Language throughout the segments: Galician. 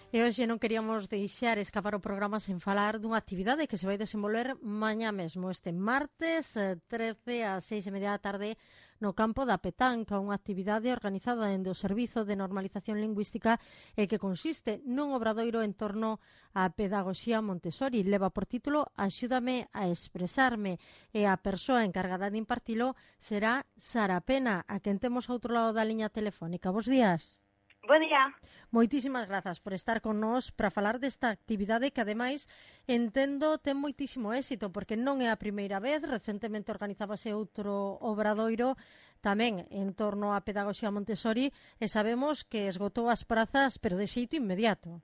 E hoxe non queríamos deixar escapar o programa sen falar dunha actividade que se vai desenvolver mañá mesmo, este martes 13 ás 6:30 da tarde no campo da Petanca, unha actividade organizada dende o Servizo de Normalización Lingüística e que consiste nun obradoiro en torno á pedagoxía Montessori. Leva por título Axúdame a expresarme e a persoa encargada de impartilo será Sara Pena, a quen temos ao outro lado da liña telefónica. Bos días. Bo día. Moitísimas grazas por estar con nós para falar desta actividade que ademais entendo ten moitísimo éxito porque non é a primeira vez, recentemente organizábase outro obradoiro tamén en torno á pedagoxía Montessori e sabemos que esgotou as prazas pero de xeito inmediato.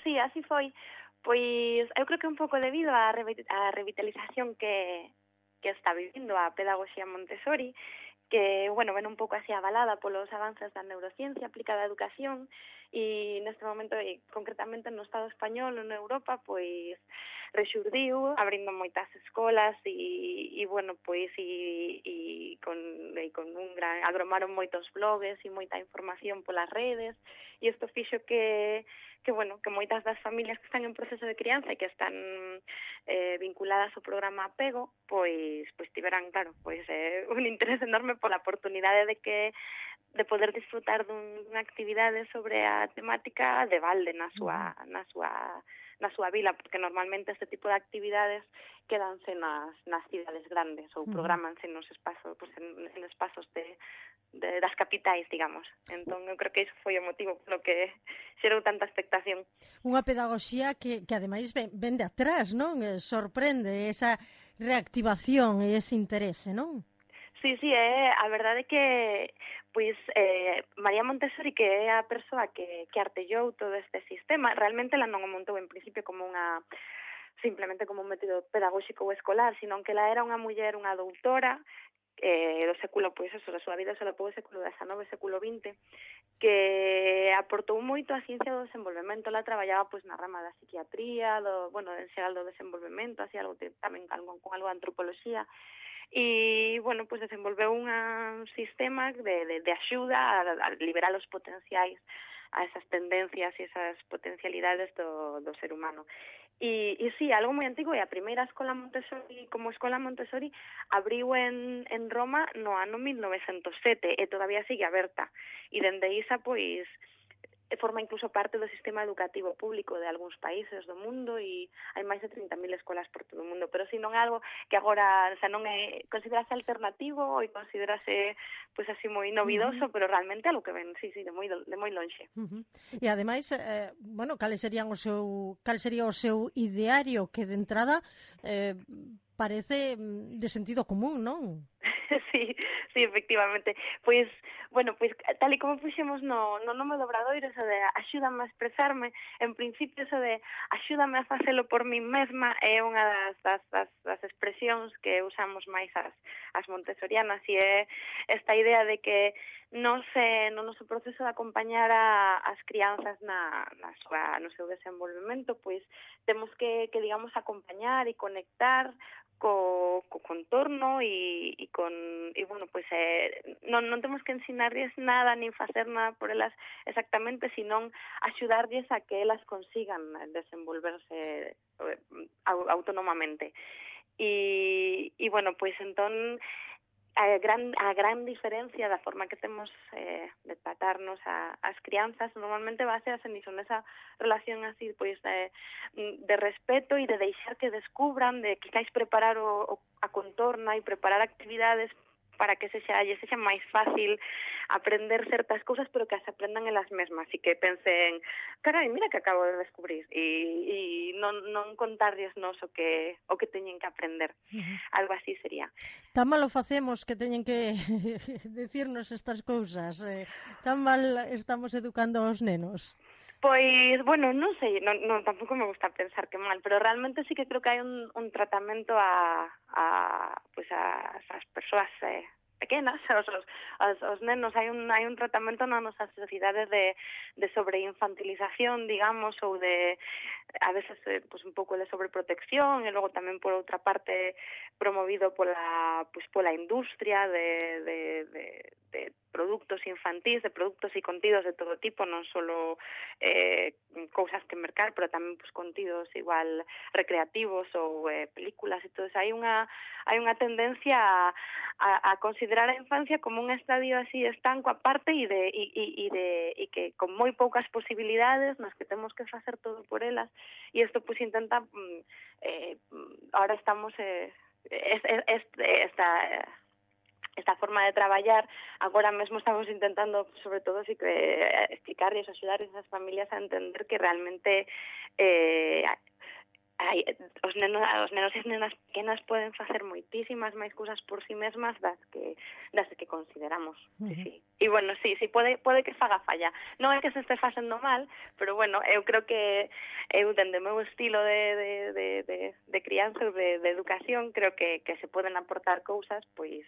Sí, así foi. Pois eu creo que un pouco debido á revitalización que está vivindo a pedagoxía Montessori, que, bueno, ven un pouco así avalada polos avances da neurociencia aplicada á educación e neste momento, concretamente no Estado español ou na Europa, pois rexurdiu, abrindo moitas escolas e bueno, pois e con un gran, agromaron moitos blogs e moita información polas redes e isto fixo que bueno, que moitas das familias que están en proceso de crianza e que están vinculadas ao programa Apego, pois tiveran, claro, un interés enorme pola oportunidade de poder disfrutar dunha actividade sobre a temática de balde na súa vila, porque normalmente este tipo de actividades quedanse nas cidades grandes ou programanse nos espazos, en espazos das capitais, digamos. Entón, eu creo que iso foi o motivo polo que xerou tanta expectación. Unha pedagoxía que ademais ven de atrás, non? Sorprende esa reactivación e ese interese, non? Sí, a verdade é que pois María Montessori, que é a persoa que artellou todo este sistema, realmente ela non o montou en principio como simplemente como un método pedagóxico ou escolar, sino que ela era unha muller, unha doutora do século, pois eso, da súa vida se lo século XIX, século XX, que aportou moito a ciencia do desenvolvemento. Ela traballaba pois na rama da psiquiatría, en xeral do desenvolvemento, así algo tamén con algo de antropoloxía. E, bueno, pois desenvolveu un sistema de axuda a liberar os potenciais, a esas tendencias e esas potencialidades do ser humano. E sí, algo moi antigo, e a primeira escola Montessori, como escola Montessori, abriu en Roma no ano 1907 e todavía sigue aberta. E dende isa, pois, forma incluso parte do sistema educativo público de algúns países do mundo e hai máis de 30.000 escolas por todo o mundo, pero si non é algo que agora, non é considerase alternativo e considerase pois así moi novidoso, pero realmente algo que ven, de moi lonxe. E ademais, cal sería o seu ideario que de entrada parece de sentido común, non? Sí, efectivamente. Pois tal e como puxemos no nome do obradoiro, eso de axúdame a expresarme, en principio eso de axúdame a facelo por min mesma é unha das expresións que usamos máis as montessorianas, e é esta idea de que no noso proceso de acompañar as crianzas no seu desenvolvemento, pois temos que digamos acompañar e conectar co contorno e bueno, pois non temos que ensinarlles nada nin facer nada por elas exactamente, senón axudarlles a que elas consigan desenvolverse autónomamente. E bueno, pois entón a gran diferencia da forma que temos de tratarnos as crianzas normalmente basease nesa relación así pois de respeto e de deixar que descubran, de quizás preparar a contorna e preparar actividades para que sexa máis fácil aprender certas cousas, pero que as aprendan elas mesmas e que pensen, carai, mira que acabo de descubrir, e non contarlles nos o que teñen que aprender. Algo así sería. Tan mal o facemos que teñen que decirnos estas cousas, tan mal estamos educando aos nenos. Pois, bueno, non sei, non tampouco me gusta pensar que mal, pero realmente sí que creo que hai un tratamento a as persoas pequenas, os nenos, hai un tratamento na nosa sociedade de sobreinfantilización, digamos, ou de a veces pues un pouco de sobreprotección, e logo tamén por outra parte promovido pola industria de produtos infantís, de produtos e contidos de todo tipo, non só cousas que mercar, pero tamén pues contidos igual recreativos ou películas e todo eso. Hai unha tendencia a considerar a infancia como un estadio así estanco aparte e que con moi poucas posibilidades nas que temos que facer todo por elas, e isto pues intenta ahora estamos esta forma de traballar, agora mesmo estamos intentando, sobre todo, sí, explicarles, axudar a esas familias a entender que realmente os nenos e as nenas pequenas poden facer moitísimas máis cousas por si mesmas das que consideramos. Sí. E bueno, sí, pode que faga falla. Non é que se este facendo mal, pero bueno, eu creo que eu dende o meu estilo de crianza ou de educación, creo que se poden aportar cousas, pois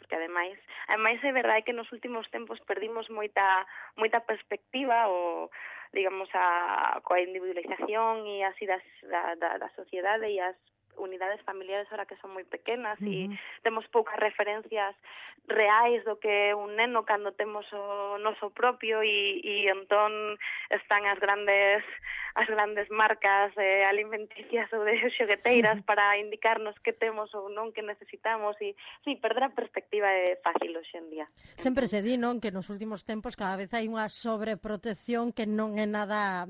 porque ademais é verdade que nos últimos tempos perdimos moita perspectiva ou digamos coa individualización e así da sociedade e as unidades familiares ahora que son moi pequenas e temos poucas referencias reais do que é un neno cando temos o noso propio e entón están as grandes marcas alimenticias ou de xogueteiras para indicarnos que temos ou non que necesitamos e sí, perder a perspectiva é fácil hoxe en día. Sempre se di, non, que nos últimos tempos cada vez hai unha sobreprotección que non é nada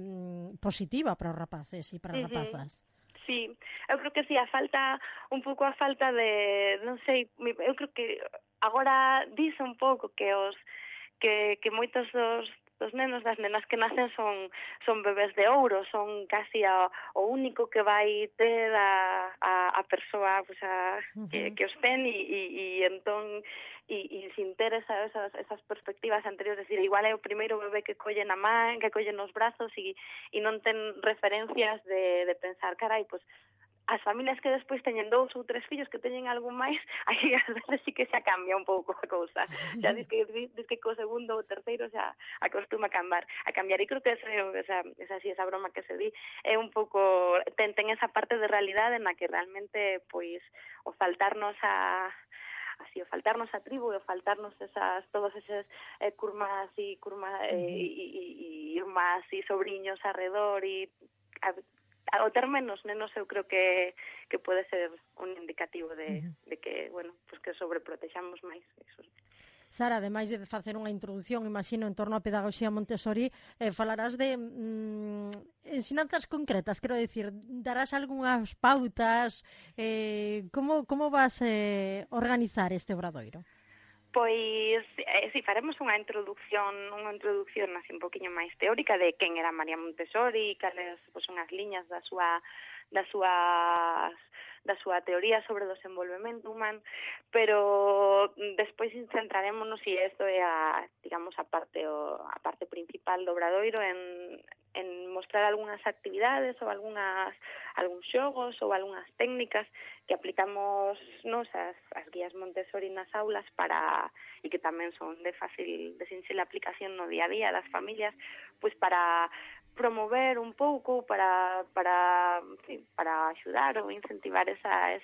positiva para os rapaces e para as rapazas. Sí, eu creo que sí, un pouco a falta de, non sei, eu creo que agora dice un pouco que moitos dos nenos, das nenas que nacen son bebés de ouro, son casi o único que vai ter a persoa pues, que os ten e entón e sin ter esas perspectivas anteriores, decir, igual é o primeiro bebé que colle na man, que colle nos brazos e non ten referencias de pensar, carai, pues as familias que despois teñen 2 ou 3 fillos que teñen algo máis, aí a veces sí que xa cambia un pouco a cousa. Xa diz que co segundo ou terceiro xa acostuma a cambiar. E creo que esa broma que se di é un pouco ten esa parte de realidade na que realmente pois o faltarnos a tribo, o faltarnos todos eses curmas e irmás e sobriños arredor e o ter menos nenos eu creo que pode ser un indicativo de que, bueno, pues que sobreprotexamos máis eso. Sara, ademais de facer unha introducción, imagino, en torno á pedagogía Montessori, falarás de ensinanzas concretas, quero dicir, darás algunhas pautas, como vas organizar este obradoiro? Pois, si faremos unha introducción así un poquinho máis teórica de quen era María Montessori, cales son as liñas da súa teoría sobre o desenvolvemento humano, pero despois centrarémonos e isto é a parte principal do obradoiro en mostrar algunhas actividades ou algúns xogos ou algunhas técnicas que aplicamos as guías Montessori nas aulas e que tamén son de sinxela aplicación no día a día das familias, pois para promover un pouco para axudar ou incentivar esa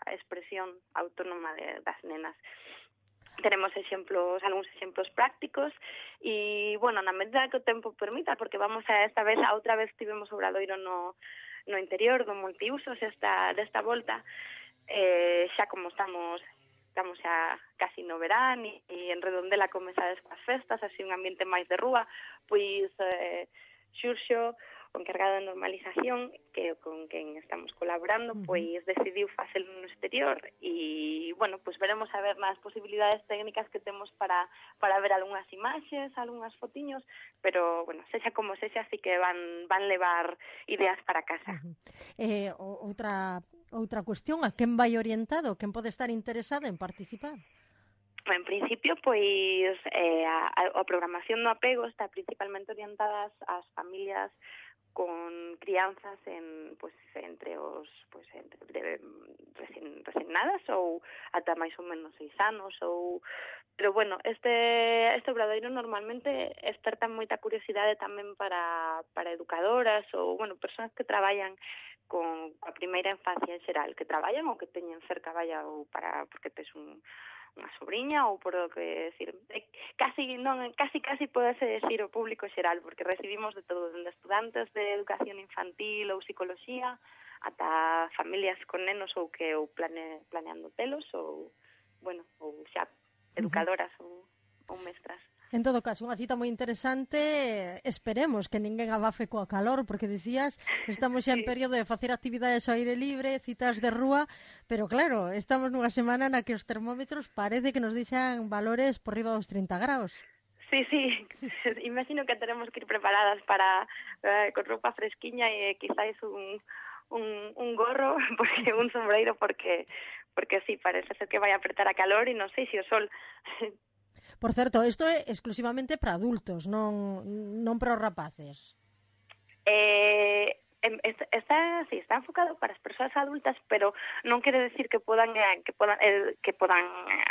expresión autónoma das nenas. Tenemos algúns exemplos prácticos e, bueno, na medida que o tempo permita, porque vamos outra vez tivemos obradoiro no interior do multiusos desta volta, xa como estamos xa casi no verán e en Redondela comezades coas festas, así un ambiente máis de rúa, pois Xurxo, o encargado de normalización, que con quen estamos colaborando, pois decidiu facelo no exterior e, bueno, pois veremos a ver nas posibilidades técnicas que temos para ver algunhas imaxes, algunhas fotiños, pero, bueno, sexa como sexa, así que van levar ideas para casa. Outra cuestión, a quen vai orientado? Quen pode estar interesado en participar? En principio, pois, a programación no apego está principalmente orientada ás familias con crianzas entre os recén nadas ou ata máis ou menos 6 anos pero bueno, este obradoiro normalmente desperta moita curiosidade tamén para educadoras ou persoas que traballan con a primeira infancia en xeral, que traballan ou que teñen cerca ou porque tes unha sobrinha ou por o que decir, casi podese decir o público xeral, porque recibimos de todo, dende estudantes de educación infantil ou psicoloxía ata familias con nenos ou planeando telos ou xa educadoras ou mestras. En todo caso, unha cita moi interesante, esperemos que ninguén abafe coa calor, porque dicías, estamos xa en período de facer actividades ao aire libre, citas de rúa, pero claro, estamos nunha semana na que os termómetros parece que nos deixan valores por riba dos 30 graus. Sí, imagino que tenemos que ir preparadas para con roupa fresquiña e quizáis un gorro, porque un sombreiro, porque sí, parece ser que vai a apretar a calor e non sei se o sol... Por certo, isto é exclusivamente para adultos, non para os rapaces. Está enfocado para as persoas adultas, pero non quere decir que podan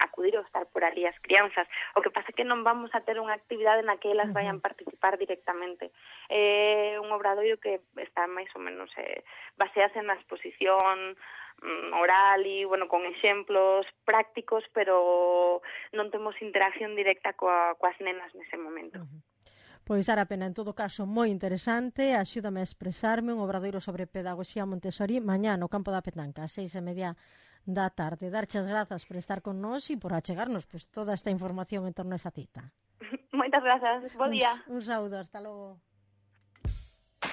acudir ou estar por ali as crianzas. O que pasa é que non vamos a ter unha actividade na que elas vayan participar directamente. É un obradoiro que está máis ou menos basease na exposición oral e, con exemplos prácticos, pero non temos interacción directa coas nenas nese momento. Pois, Sara Pena, en todo caso, moi interesante, axúdame a expresarme, un obradoiro sobre pedagogía Montessori, mañá no campo da Petanca, 6:30 da tarde. Darche as grazas por estar con nós e por achegarnos toda esta información en torno a esa cita. Moitas grazas, bo día. Un saúdo, hasta logo.